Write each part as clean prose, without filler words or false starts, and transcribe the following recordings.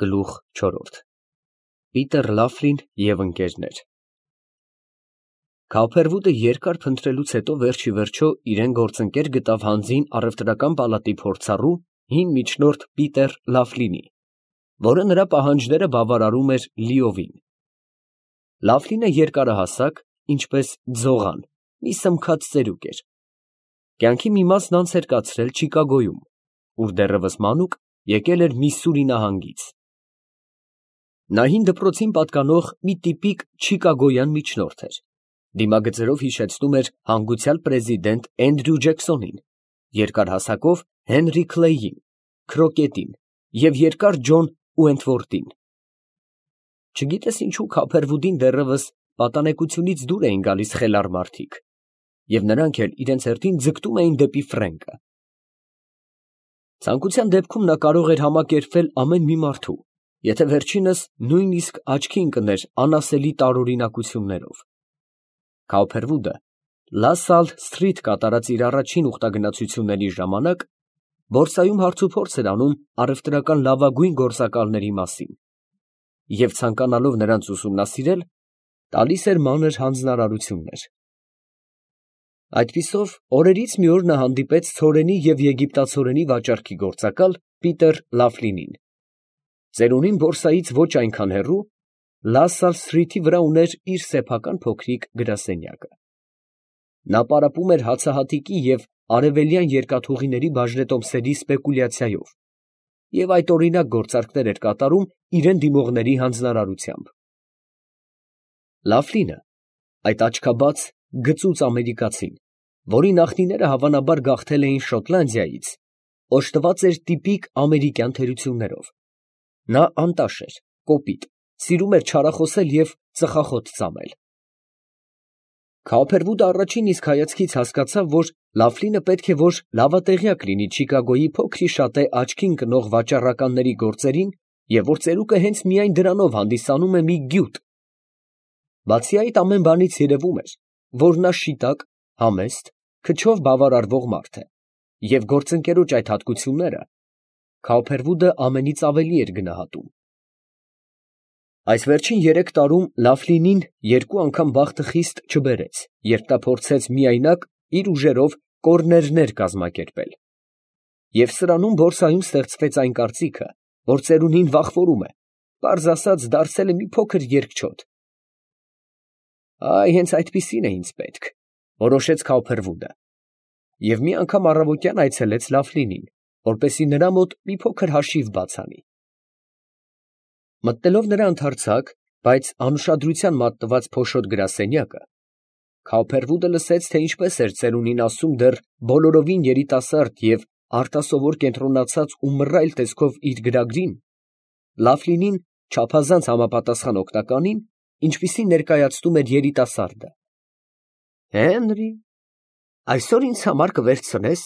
Գլուխ 4 Պիտեր Լաֆլին և ընկերներ Քավփերվուտը երկար փնտրելուց հետո վերջիվերջո իրեն գործընկեր գտավ հանձին առևտրական պալատի փորձառու հին միջնորդ Պիտեր Լաֆլինի, որը նրա պահանջները բավարարում էր լիովին։ Լաֆլինը երկարահասակ, ինչպես ձողան, մի սմքած ծերուկ էր։ Կյանքի մի մասն անց էր կացրել Չիկագոյում, ուր դեռևս մանուկ եկել էր Միսսուրի նահանգից։ Նա հին դպրոցին պատկանող մի տիպիկ չիկագոյան միջնորդ էր, դիմագծերով հիշեցնում էր հանգուցյալ պրեզիդենտ Էնդրյու Ջեքսոնին, երկարհասակով Հենրի Քլեյին, Քրոկետին և երկար Ջոն Ուենթվորթին։ Չգիտես ինչու Քավփերվուտին դեռևս պատանեկությունից դուր էին գալիս խելառ մարդիկ, և նրանք էլ իրենց հերթին ձգտում էին դեպի Ֆրենկը։ Ցանկության դեպքում նա կարող էր համակերպվել ամեն մի մարդու, եթե վերջինս նույնիսկ աչքի ընկներ անասելի տարօրինակություններով։ Քավփերվուտը Լա Սալ Սթրիթ կատարած իր առաջին ուխտագնացությունների ժամանակ բորսայում հարցուփորձ էր անում առևտրական լավագույն գործակալների մասին և ցանկանալով նրանց ուսումնասիրել, տալիս էր մանր հանձնարարություններ։ Այդպիսով օրերից մի օր նա հանդիպեց ցորենի և եգիպտացորենի վաճառքի գործակալ Պիտեր Լաֆլինին։ Ծերունին բորսայից ոչ այնքան հեռու, Լա Սալ Սթրիթի վրա ուներ իր սեփական փոքրիկ գրասենյակը։ Նա պարապում էր հացահատիկի և արևելյան երկաթուղիների բաժնետոմսերի սպեկուլյացիայով և այդօրինակ գործարքներ էր կատարում իրան դիմողների հանձնարարությամբ։ Լաֆլինը, այդ աչքաբաց, գծուծ ամերիկացին, որի նախնիները հավանաբար գաղթել էին Շոտլանդիայից, օժտված էր տիպիկ ամերիկյան թերություններով։ Նա անտաշ էր, կոպիտ, սիրում էր չարախոսել և ծխախոտ ծամել։ Քավփերվուտը առաջին իսկ հայացքից հասկացավ, որ Լաֆլինը պետք է որ լավատեղյակ լինի Չիկագոյի փոքրիշատե աչքի ընկնող վաճառականների գործերին և որ ծերուկը հենց միայն դրանով հանդիսանում է մի գյուտ։ Բացի այդ ամեն բանից երևում էր, որ նա շիտակ, համեստ, քչով բավարարվող մարդ է, և գործընկերոջ այդ հատկությունները Քավփերվուտը ամենից ավելի էր գնահատում։ Այս վերջին 3 տարում Լաֆլինին 2 անգամ բախտը խիստ չբերեց, երբ նա փորձեց միայնակ իր ուժերով կոռներներ կազմակերպել։ Եվ սրանում բորսայում ստեղծվեց այն կարծիքը, որ ծերունին վախվորում է, պարզ ասած դարձել է մի փոքր երկչոտ։ Այ հենց այդպիսին է ինձ պետք, որոշեց Քավփերվուտը, և մի անգամ առավոտյան այցելեց Լաֆլինին, որպեսզի նրա մոտ մի փոքր հաշիվ բաց անի։ Մտնելով նրա ընդարձակ, բայց անուշադրության մատնված փոշոտ գրասենյակը, Քավփերվուտը լսեց, թե ինչպես էր ծերունին ասում դեռ բոլորովին երիտասարդ և արտասովոր կենտրոնացած ու մռայլ տեսքով իր գրագրին, Լաֆլինին չափազանց համապատասխան օգնականին, ինչպիսին ներկայացնում էր երիտասարդը։ Հենրի, այսօր ինձ համար կվերցնես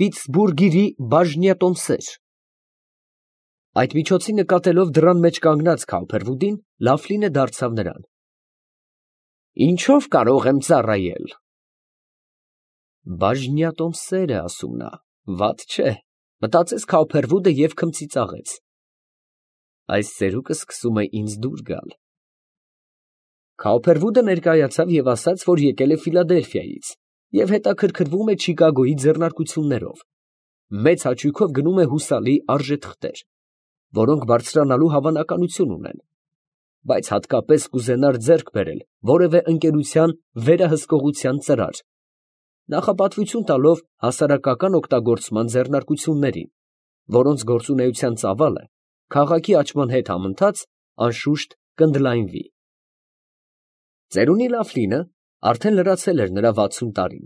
Պիտսբուրգիրի բաժնյատոմսեր։ Այդ միջոցին նկատելով դռան մեջ կանգնած Քավփերվուտին, Լաֆլինը դարձավ նրան. Ինչո՞վ կարող եմ ծառայել։ Բաժնյատոմսեր է ասում նա, վատ չէ, մտածեց Քավփերվուտը և քմծիծաղեց։ Այս ծերուկը սկսում է ինձ դուր գալ։ Քավփերվուտը ներկայացավ և ասաց, որ եկել է Ֆիլադելֆիայից և հետաքրքրվում է Չիկագոյի ձեռնարկություններով, մեծ հաճույքով գնում է հուսալի արժեթղթեր, որոնք բարձրանալու հավանականություն ունեն, բայց հատկապես կուզենար ձեռք բերել որևէ ընկերության վերահսկողության ծրար, նախապատվություն տալով հասարակական օգտագործման ձեռնարկություններին, որոնց գործունեության ծավալը քաղաքի աճման հետ համընթաց անշուշտ կընդլայնվի։ Ծերունի Լաֆլինը արդեն լրացել էր նրա 60 տարին,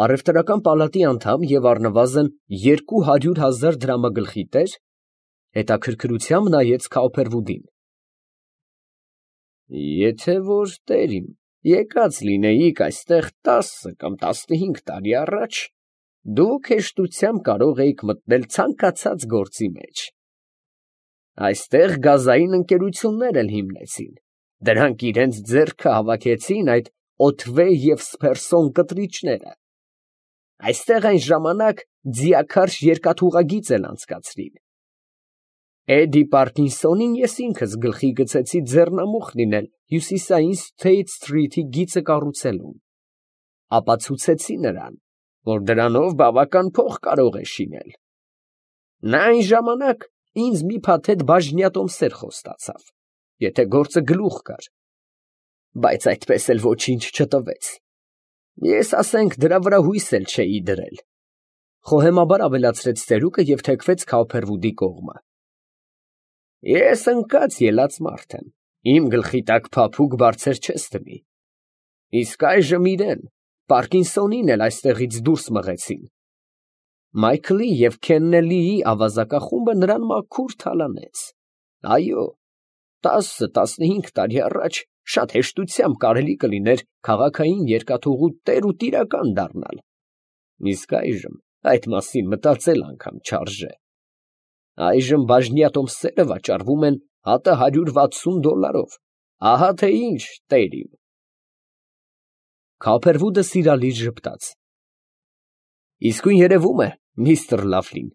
առևտրական պալատի անդամ և առնվազն 200,000 դրամագլխի տեր, հետաքրքրությամբ նայեց Քավփերվուտին։ Եթե որ տեր իմ եկած լինեիք այստեղ 10 կամ 15 տարի առաջ, դուք հեշտությամբ կարող էիք մտնել ցանկացած գործի մեջ։ Այստեղ գազային ընկերություններ էլ հիմնեցին, դրանք իրենց ձեռքը հավաքեցին այդ Օթվե և Սփերսոն կտրիչները։ Այստեղ այն ժամանակ ձիաքարշ երկաթուղագիծ էլ անցկացրին։ Էդի Պարկինսոնին ես ինքս գլխի գցեցի ձեռնամուխ լինել հյուսիսային Սթեյթ Սթրիթի գիծը կառուցելուն, ապացուցեցի նրան, որ դրանով բավական փող կարող է շինել։ Նա այն ժամանակ ինձ մի փաթեթ բաժնյատոմսեր խոստացավ, եթե գործը գլուխ գար, բայց այդպես էլ ոչինչ չտվեց։ Ես, ասենք, դրա վրա հույս էլ չէի դրել, խոհեմաբար ավելացրեց ծերուկը և թեքվեց Քաուփերվուդի կողմը։ Ես ընկած ելած մարդ եմ, իմ գլխի տակ փափուկ բարձր չես դնի։ Իսկ այժմ իրեն, Պարկինսոնին էլ այստեղից դուրս մղեցին։ Մայքլի և Քեննելիի ավազակախումբը նրան մաքուր թալանեց։ Այո, 10-15 տարի առաջ շատ հեշտությամբ կարելի կլիներ քաղաքային երկաթուղու տեր ու տիրական դառնալ։ Իսկ այժմ այդ մասին մտածել անգամ չարժե։ Այժմ բաժնյատոմսերը վաճառվում են հատը $160, ահա թե ինչ, տեր իմ։ Քաուփերվուդը սիրալիր ժպտաց։ Իսկույն երևում է, միստր Լավլին,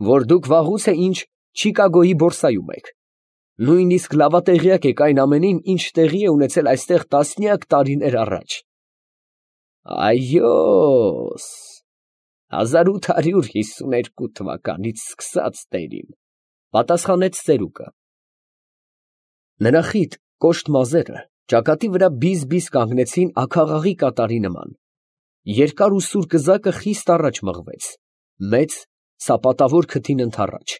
որ դուք վաղուց է ինչ Չիկագոյի բորսայում եք։ Նույնիսկ լավատեղյակ եք այն ամենին, ինչ տեղի է ունեցել այստեղ տասնյակ տարիներ առաջ։ Այո, 1852 թվականից սկսած, տեր իմ, պատասխանեց ծերուկը։ Նրա խիտ կոշտ մազերը ճակատի վրա բիզ-բիզ կանգնեցին աքաղաղի կատարի նման։ Երկար ու սուր կզակը խիստ առաջ մղվեց, մեծ սապատավոր քթին ընդառաջ։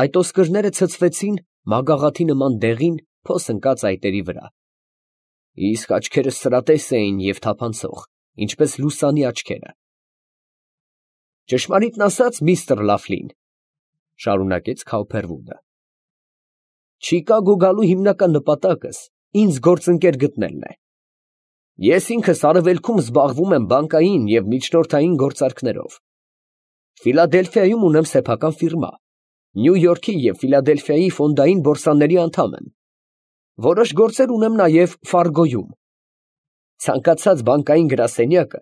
Այդ ոսկրները ցցվեցին մագաղաթի նման դեղին փոս ընկած այտերի վրա։ Իսկ աչքերը սրատես էին և թափանցող, ինչպես լուսանի աչքերը։ Ճշմարիտն ասած, միստր Լավլին, շարունակեց Քաուփերվուդը, Չիկագո գալու հիմնական նպատակս ինձ գործընկեր գտնելն է։ Ես ինքս արևելքում զբաղվում եմ բանկային և միջնորդային գործարքներով։ Ֆիլադելֆիայում ունեմ սեփական ֆիրմա, Նյու Յորքի և Ֆիլադելֆիայի ֆոնդային բորսաների անդամ եմ։ Որոշ գործեր ունեմ նաև Ֆարգոյում։ Ցանկացած բանկային գրասենյակը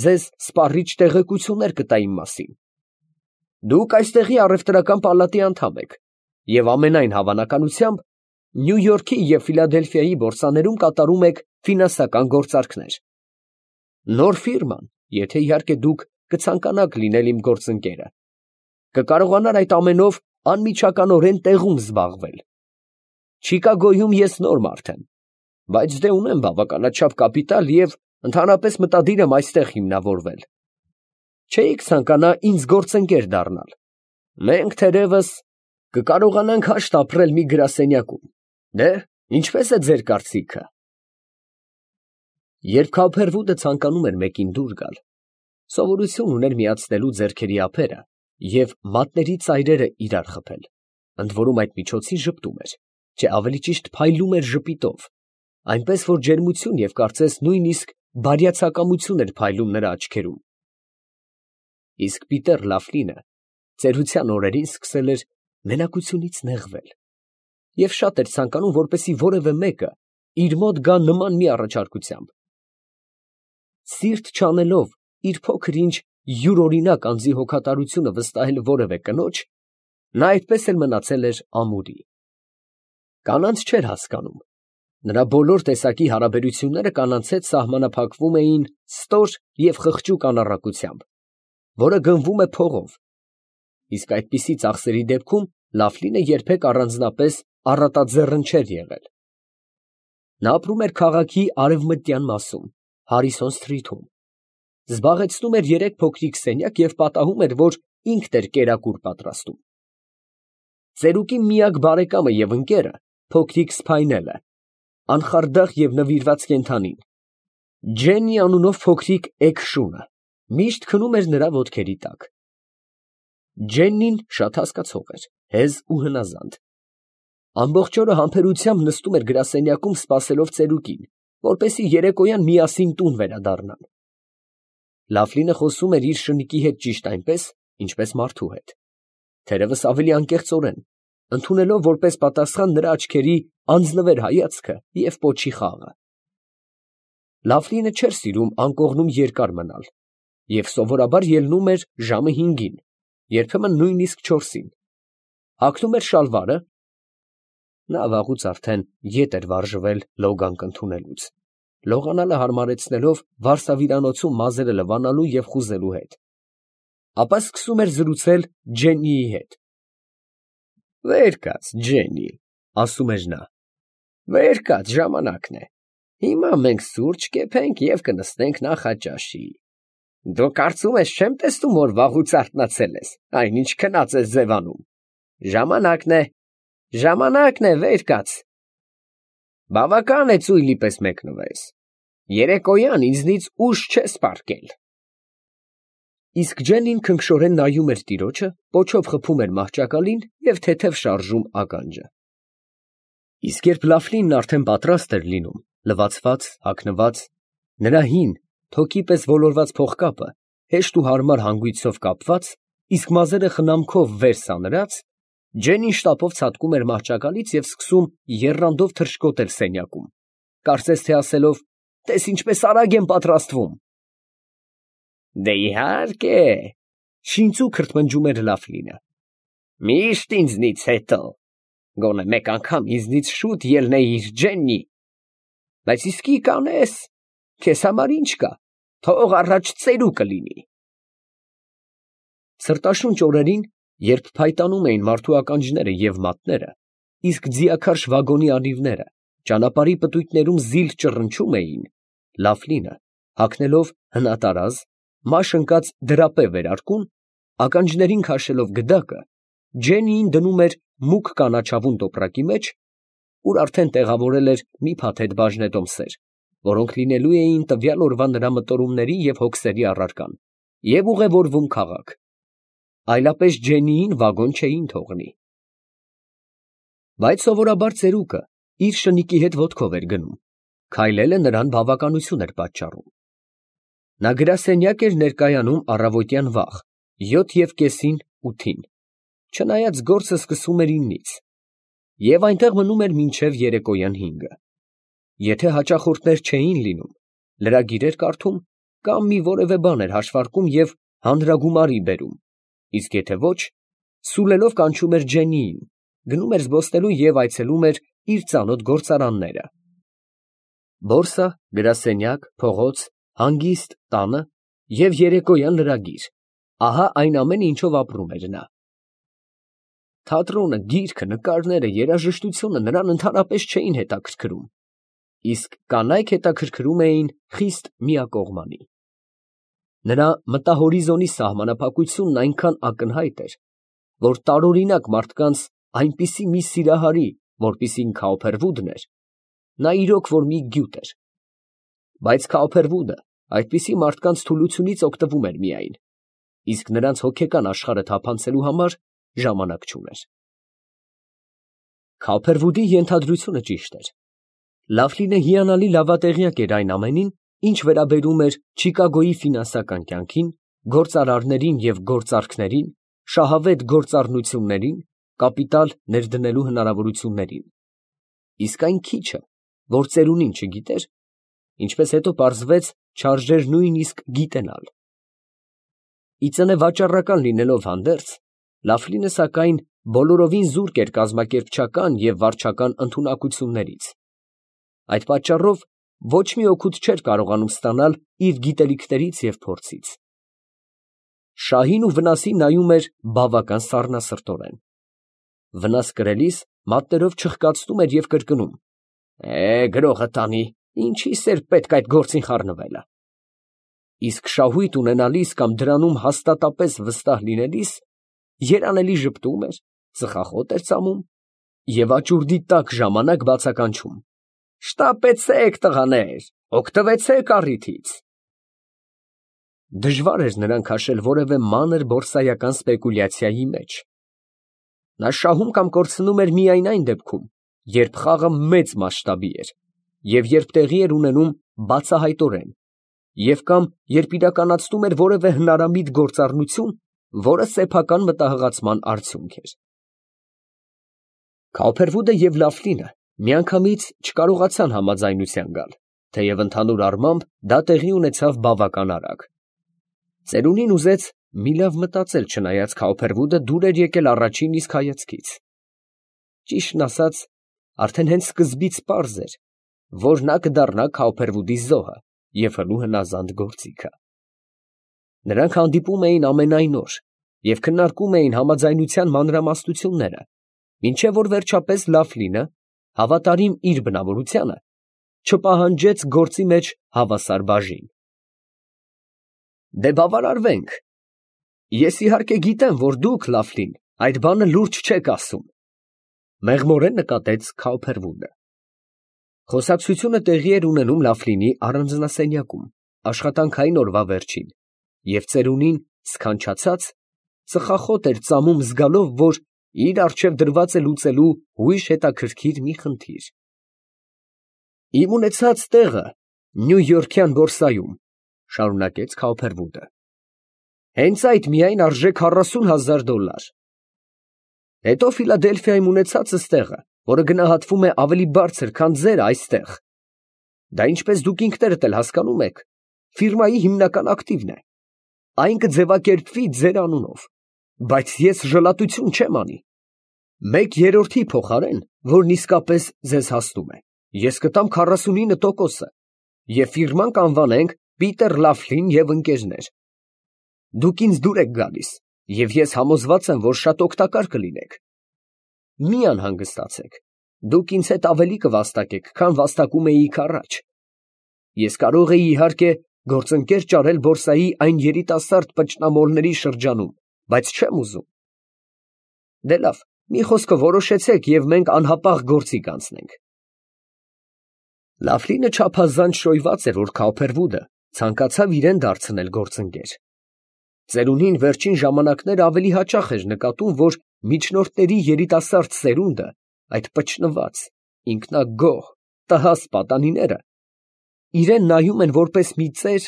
ձեզ սպառիչ տեղեկություններ կտա իմ մասին։ Դուք այստեղի առևտրական պալատի անդամ եք և ամենայն հավանականությամբ Նյու Յորքի և Ֆիլադելֆիայի բորսաներում կատարում եք ֆինանսական գործարքներ։ Նոր ֆիրման, եթե իհարկե դուք կցանկանաք լինել իմ գործընկերը, կկարողանար այդ ամենով անմիջականորեն տեղում զբաղվել։ Չիկագոյում ես նոր մարդ եմ, բայց դե ունեմ բավականաչափ կապիտալ և ընդհանրապես մտադիր եմ այստեղ հիմնավորվել։ Չէիք ցանկանա ինձ գործընկեր դառնալ։ Մենք թերևս կկարողանանք հաշտ ապրել մի գրասենյակում։ Դե, ինչպես է ձեր կարծիքը։ Երբ Քաուփերվուդը ցանկանում էր մեկին դուր գալ, սովորություն ուներ միացնելու ձեռքերի ափերը և մատների ծայրերը իրար խփել, ընդ որում այդ միջոցին ժպտում էր, չէ ավելի ճիշտ փայլում էր ժպիտով, այնպես որ ջերմություն և կարծես նույնիսկ բարյացակամություն էր փայլում նրա աչքերում։ Իսկ Պիտեր Լավլինը ծերության օրերին սկսել էր մենակությունից նեղվել և շատ էր ցանկանում, որպեսզի որևէ մեկը իր մոտ գա նման մի առաջարկությամբ։ Սիրտ չանելով իր փոքր-ինչ յուրօրինակ անձի հոգատարությունը վստահել որևէ կնոջ, նա այդպես էլ մնացել էր ամուրի։ Կանանց չէր հասկանում, նրա բոլոր տեսակի հարաբերությունները կանանց հետ սահմանափակվում էին ստոր և խղճուկ անառակությամբ, որը գնվում է փողով, իսկ այդպիսի ծախսերի դեպքում Լավլինը երբեք առանձնապես առատաձեռն չէր եղել։ Նա ապրում էր քաղաքի արևմտյան մասում, Հարիսոն Սթրիթում, զբաղեցնում էր 3 փոքրիկ սենյակ և պատահում էր, որ ինքն էր կերակուր պատրաստում։ Ծերուկի միակ բարեկամը և ընկերը փոքրիկ Սփայնելը, անխարդախ և նվիրված կենդանին, Ջեննի անունով փոքրիկ էգ շունը, միշտ քնում էր նրա ոտքերի տակ։ Ջեննին շատ հասկացող էր, հեզ ու հնազանդ։ Ամբողջ օրը համբերությամբ նստում էր գրասենյակում սպասելով ծերուկին, որպեսզի երեկոյան միասին տուն վերադառնան։ Լավլինը խոսում էր իր շնիկի հետ ճիշտ այնպես, ինչպես մարդու հետ, թերևս ավելի անկեղծորեն, ընդունելով որպես պատասխան նրա աչքերի անձնվեր հայացքը և պոչի խաղը։ Լավլինը չէր սիրում անկողնում երկար մնալ և սովորաբար ելնում էր ժամը 5-ին, երբեմն նույնիսկ 4-ին։ Հագնում էր շալվարը։ Նա վաղուց արդեն ետ էր վարժվել լոգանք ընդունելուց, լողանալը հարմարեցնելով վարսավիրանոցում մազերը լվանալու և խուզելու հետ։ Ապա սկսում էր զրուցել Ջեննիի հետ։ «Վեր կաց, Ջեննի», ասում էր նա, «վեր կաց, ժամանակն է։ Հիմա մենք սուրճ կեփենք և կնստենք նախաճաշի։ Դու կարծում ես չեմ տեսնում, որ վաղուց արթնացել ես, այնինչ քնած ես ձևանում։ Ժամանակն է, վեր կաց։ Բավական է ծույլի պես մեկնվես։ Երեկոյան ինձնից ուժ չես պառկել»։ Իսկ Ջեննին քնքշորեն նայում էր տիրոջը, պոչով խփում էր մահճակալին և թեթև շարժում ականջը։ Իսկ երբ Լավլինն արդեն պատրաստ էր լինում, լվացված, հագնված, նրա հին, թոքի պես ոլորված փողկապը հեշտ ու հարմար հանգույցով կապված, իսկ մազերը խնամքով վեր սանրած, Ջեննին շտապով ցատկում էր մահճակալից և սկսում եռանդով թռչկոտել սենյակում, կարծես թե ասելով. «Տես ինչպես արագ եմ պատրաստվում»։ «Դե իհարկե», շինծու քրթմնջում էր Լավլինը, «միշտ ինձնից հետո, գոնե մեկ անգամ ինձնից շուտ ելնեիր, Ջեննի, բայց իսկի կանես, քեզ համար ինչ կա, թող առաջ ծերուկը լինի»։ Սրտաշունչ օրերին, երբ փայտանում էին մարդու ականջները և մատները, իսկ ձիաքարշ վագոնի անիվները ճանապարհի պտույտներում զիլ ճռնչում էին, Լավլինը, հագնելով հնատարազ, մաշ ընկած դրապե վերարկուն, ականջներին քաշելով գդակը, Ջեննիին դնում էր մուգ կանաչավուն տոպրակի մեջ, ուր արդեն տեղավորել էր մի փաթեթ բաժնետոմսեր, որոնք լինելու էին տվյալ օրվա նրա մտորումների և հոգսերի առարկան, և ուղևորվում քաղաք, այլապես Ջեննիին վագոն չէին թողնի։ Բայց սովորաբար ծերուկը իր շնիկի հետ ոտքով էր գնում, քայլելը նրան բավականություն էր պատճառում։ Նա գրասենյակ էր ներկայանում առավոտյան վաղ, 7:30-ին, 8-ին, չնայած գործը սկսում էր 9-ից, և այնտեղ մնում էր մինչև երեկոյան 5-ը։ Եթե հաճախորդներ չէին լինում, լրագիր էր կարդում կամ մի որևէ բան էր հաշվարկում և հանրագումարի բերում, իսկ եթե ոչ, սուլելով կանչում էր Ջեննիին, գնում էր զբոսնելու և այցելում էր իր ծանոթ գործարանները։ Բորսա, գրասենյակ, փողոց, հանգիստ, տանը և երեկոյան լրագիր, ահա այն ամենը, ինչով ապրում էր նա։ Թատրոնը, գիրքը, նկարները, երաժշտությունը նրան ընդհանրապես չէին հետաքրքրում, իսկ կանայք հետաքրքրում էին խիստ միակողմանի։ Նրա մտահորիզոնի սահմանափակությունն այնքան ակնհայտ էր, որ տարօրինակ մարդկանց այնպիսի մի սիրահարի, որպիսին Քաուփերվուդն էր, նա իրոք որ մի գյուտ էր, բայց Քաուփերվուդը այդպիսի մարդկանց թուլությունից օգտվում էր միայն, իսկ նրանց հոգեկան աշխարհը թափանցելու համար ժամանակ չուներ։ Քաուփերվուդի ենթադրությունը ճիշտ էր։ Լավլինը հիանալի լավատեղյակ էր այն ամենին, ինչ վերաբերում էր Չիկագոյի ֆինանսական կյանքին, գործարարներին և գործարքներին, շահավետ գործառնություններին, կապիտալ ներդնելու հնարավորություններին, իսկ այն քիչը, որ ծերունին չգիտեր, ինչպես հետո պարզվեց, չարժեր նույնիսկ գիտենալ։ Ի ծնե վաճառական լինելով հանդերձ, Լավլինը սակայն բոլորովին զուրկ էր կազմակերպչական և վարչական ընդունակություններից։ Այդ պատճառով ոչ մի օգուտ չէր կարողանում ստանալ իր գիտելիքներից և փորձից։ Շահին ու վնասին նայում էր բավական սառնասրտորեն։ Վնաս կրելիս մատներով չխկացնում էր և կրկնում. «Գրողը տանի, ինչիս էր պետք այդ գործին խառնվելը»։ Իսկ շահույթ ունենալիս կամ դրանում հաստատապես վստահ լինելիս երանելի ժպտում էր, ծխախոտ էր ծամում և աճուրդի տաք ժամանակ բացականչում. «Շտապեցեք, տղաներ, օգտվեցեք առիթից»։ Դժվար էր նրան քաշել որևէ մանր բորսայական սպեկուլյացիայի մեջ։ Նա շահում կամ կորցնում էր միայն այն դեպքում, երբ խաղը մեծ մասշտաբի էր, և երբ տեղի էր ունենում բացահայտորեն, և կամ երբ իրականացնում էր որևէ հնարամիտ գործառնություն, որը սեփական մտահղացման արդյունք էր։ Քաուփերվուդը և Լավլինը միանգամից չկարողացան համաձայնության գալ, թեև ընդհանուր առմամբ դա տեղի ունեցավ բավական արագ։ Ծերունին ուզեց մի լավ մտածել չնայած Քաուփերվուդը դուր էր եկել առաջին իսկ հայացքից։ Ճիշտն ասած, արդեն հենց սկզբից պարզ էր, որ նա կդառնա Քաուփերվուդի զոհը և հնու հնազանդ գործիքը։ Նրանք հանդիպում էին ամենայն օր և քննարկում էին համաձայնության մանրամասնությունները, մինչև որ վերջապես Լաֆլինը, հավատարիմ իր բնավորությանը, չպահանջեց գործի մեջ հավասար բաժին։ Դե բավարարվենք։ Ես իհարկե գիտեմ, որ դուք, Լաֆլին, այդ բանը լուրջ չեք ասում, մեղմորեն նկատեց Քաուփերվուդը։ Խոսակցությունը տեղի էր ունենում Լաֆլինի առանձնասենյակում, աշխատանքային օրվա վերջին, և ծերունին սքանչացած, ծխախոտ էր ծամում զգալով, որ իր առջև դրված է լուծելու ուրիշ հետաքրքիր մի խնդիր։ Իմ ունեցած տեղը Նյույորքյան բորսայում, շարունակեց Քաուփերվուդը, հենց այդ միայն արժե $40,000։ Հետո Ֆիլադելֆիայում ունեցածս տեղը, որը գնահատվում է ավելի բարձր, քան ձերը այստեղ։ Դա, ինչպես դուք ինքներդ էլ հասկանում եք, ֆիրմայի հիմնական ակտիվն է։ Այն կձևակերպվի ձեր անունով, բայց ես ժլատություն չեմ անի։ 1/3-ի փոխարեն, որն իսկապես ձեզ հասնում է, ես կտամ 49%-ը, և ֆիրման կանվանենք Պիտեր Լաֆլին և ընկերներ։ Դուք ինձ դուր եք գալիս, և ես համոզված եմ, որ շատ օգտակար կլինեք։ Մի անհանգստացեք, դուք ինձ հետ ավելի կվաստակեք, քան վաստակում էիք առաջ։ Ես կարող էի, իհարկե, գործընկեր ճարել բորսայի այն երիտասարդ պճնամոլների շրջանում, բայց չեմ ուզում։ Դե լավ, մի խոսքը որոշեցեք և մենք անհապաղ գործի կանցնենք։ Լաֆլինը չափազանց շոյված էր, որ Քաուփերվուդը ցանկացավ իրեն դարձնել գործընկեր։ Ծերունին վերջին ժամանակներ ավելի հաճախ էր նկատում, որ միջնորդների երիտասարդ սերունդը, այդ պճնված, ինքնագոհ, տհաս պատանիները, իրեն նայում են որպես մի ծեր,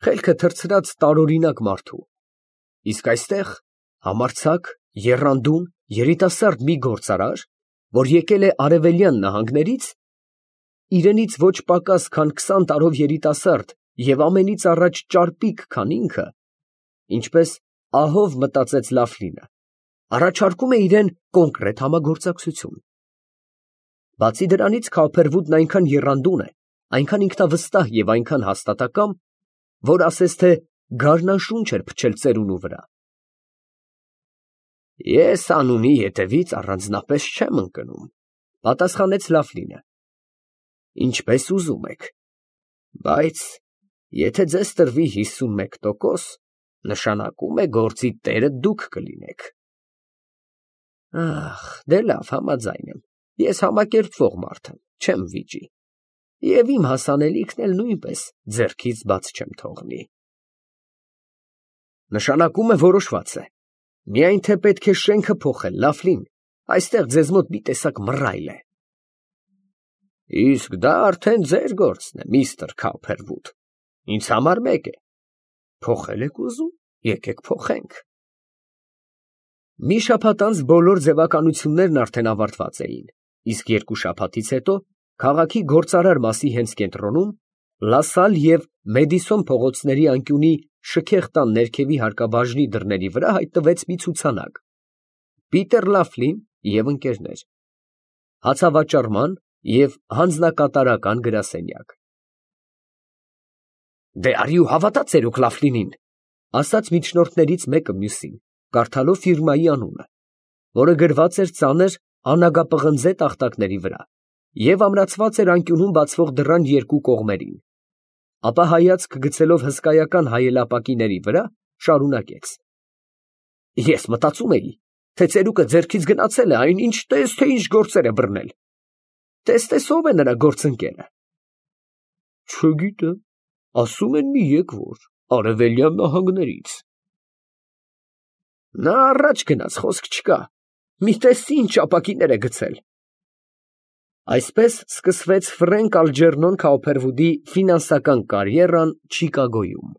խելքը թռցրած տարօրինակ մարդու, իսկ այստեղ համարձակ, եռանդուն, երիտասարդ մի գործարար, որ եկել է Արևելյան նահանգներից, իրենից ոչ պակաս, քան 20 տարով երիտասարդ և ամենից առաջ ճարպիկ, քան ինքը, ինչպես ահով մտածեց Լաֆլինը, առաջարկում է իրեն կոնկրետ համագործակցություն։ Բացի դրանից Քաուփերվուդն այնքան եռանդուն է, այնքան ինքնավստահ և այնքան հաստատակամ, որ ասես թե գարնանշուն էր փչել ծերունու վրա։ Ես անունի ետևից առանձնապես չեմ ընկնում, պատասխանեց Լաֆլինը։ Ինչպես ուզում եք, բայց եթե ձեզ տրվի 51%, նշանակում է գործի տերը դուք կլինեք։ Ախ, դե լավ, համաձայն եմ, ես համակերպվող մարդ եմ, չեմ վիճի, և իմ հասանելիքն էլ նույնպես ձեռքից բաց չեմ թողնի։ Նշանակում է որոշված է, միայն թե պետք է շենքը փոխել, Լաֆլին, այստեղ ձեզ մոտ մի տեսակ մռայլ է։ Իսկ դա արդեն ձեր գործն է, միստր Քաուփերվուդ, ինձ համար մեկ է, փոխել եք ուզում, եկեք փոխենք։ Մի շաբաթ անց բոլոր ձևականություններն արդեն ավարտված էին, իսկ 2 շաբաթից հետո քաղաքի գործարար մասի հենց կենտրոնում, Լասալ և Մեդիսոն փողոցների անկյունի շքեղ տան ներքևի հարկաբաժնի դռների վրա հայտնվեց մի ցուցանակ. Պիտեր Լաֆլին և ընկերներ, հացավաճառման և հանձնակատարական գրասենյակ։ Դե արի ու հավատա ծերուկ Լաֆլինին, ասաց միջնորդներից մեկը մյուսին, կարդալով ֆիրմայի անունը, որը գրված էր ծանր անագապղնձե տախտակների վրա և ամրացված էր անկյունում բացվող դռան երկու կողմերին, ապա հայացք գցելով հսկայական հայելապակիների վրա, շարունակեց. Ես մտածում էի, թե ծերուկը ձեռքից գնացել է այն ինչ տես, թե ինչ գործեր է բռնել։ Տես ով է նրա գործընկերը։ Չգիտեմ, ասում են մի եկվոր, Արևելյան նահանգներից։ Նա առաջ գնաց, խոսք չկա, մի տես ինչ ապակիներ է գցել։ Այսպես սկսվեց Ֆրենկ Ալջերնոն Քաուփերվուդի ֆինանսական կարիերան Չիկագոյում։